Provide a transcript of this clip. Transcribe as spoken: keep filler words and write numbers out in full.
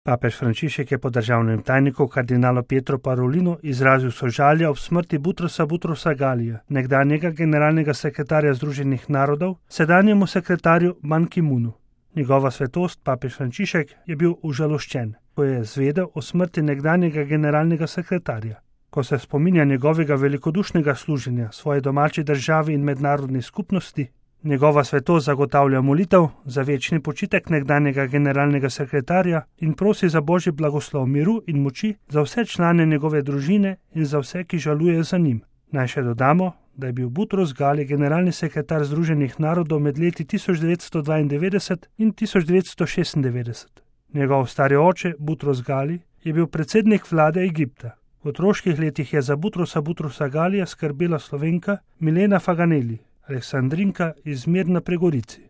Papež Frančišek je po državnem tajniku kardinalu Pietru Parolinu izrazil sožalje ob smrti Butrosa Butrosa Galija, nekdanjega generalnega sekretarja Združenih narodov, sedanjemu sekretarju Ban Ki-moonu. Njegova svetost, papež Frančišek, je bil užaloščen, ko je zvedel o smrti nekdanjega generalnega sekretarja. Ko se spominja njegovega velikodušnega služenja svoji domači državi in mednarodni skupnosti, njegova svetost zagotavlja molitev za večni počitek nekdanjega generalnega sekretarja in prosi za božji blagoslov miru in moči za vse člane njegove družine in za vse, ki žalujejo za njim. Naj še dodamo, da je bil Butros Gali generalni sekretar Združenih narodov med leti tisoč devetsto dvaindevetdeset in tisoč devetsto šestindevetdeset. Njegov stari oče, Butros Gali, je bil predsednik vlade Egipta. V otroških letih je za Butrosa Butrosa Galija skrbela Slovenka Milena Faganeli, Aleksandrinka iz Mirna pri Gorici.